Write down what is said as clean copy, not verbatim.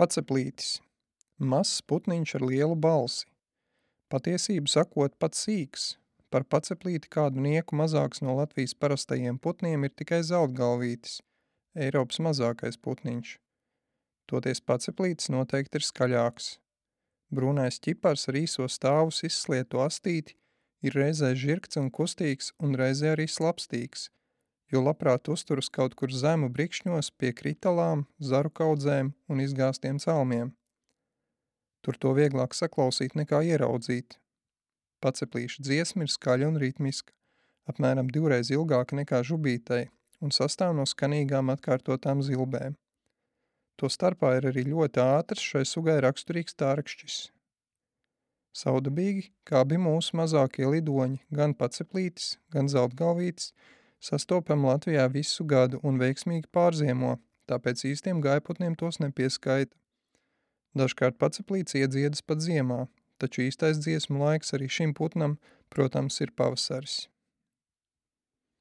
Paceplītis. Mazs putniņš ar lielu balsi. Patiesību sakot, pats sīks. Par paceplīti kādu nieku mazāks no Latvijas parastajiem putniem ir tikai zeltgalvītis, Eiropas mazākais putniņš. Toties paceplītis noteikti ir skaļāks. Brūnais ķipars ar īso stāvus izslietu astīti ir reizē žirgts un kustīgs un reizē arī slapstīgs, jo labprāt uzturas kaut kur zemu brikšņos pie kritalām, zaru kaudzēm un izgāstiem celmiem. Tur to vieglāk saklausīt nekā ieraudzīt. Paceplīša dziesma ir skaļa un ritmiska, apmēram 2 reiz ilgāka nekā žubītei un sastāv no skanīgām atkārtotām zilbēm. To starpā ir arī ļoti ātrs šai sugai raksturīgs tārkšķis. Saudabīgi, kā abi mūsu mazākie lidoņi, gan paceplītis, gan zeltgalvītis, sastopam Latvijā visu gadu un veiksmīgi pārziemo, tāpēc īstiem gājputniem tos nepieskaita. Dažkārt paceplīts iedziedas pat ziemā, taču īstais dziesmu laiks arī šim putnam, protams, ir pavasaris.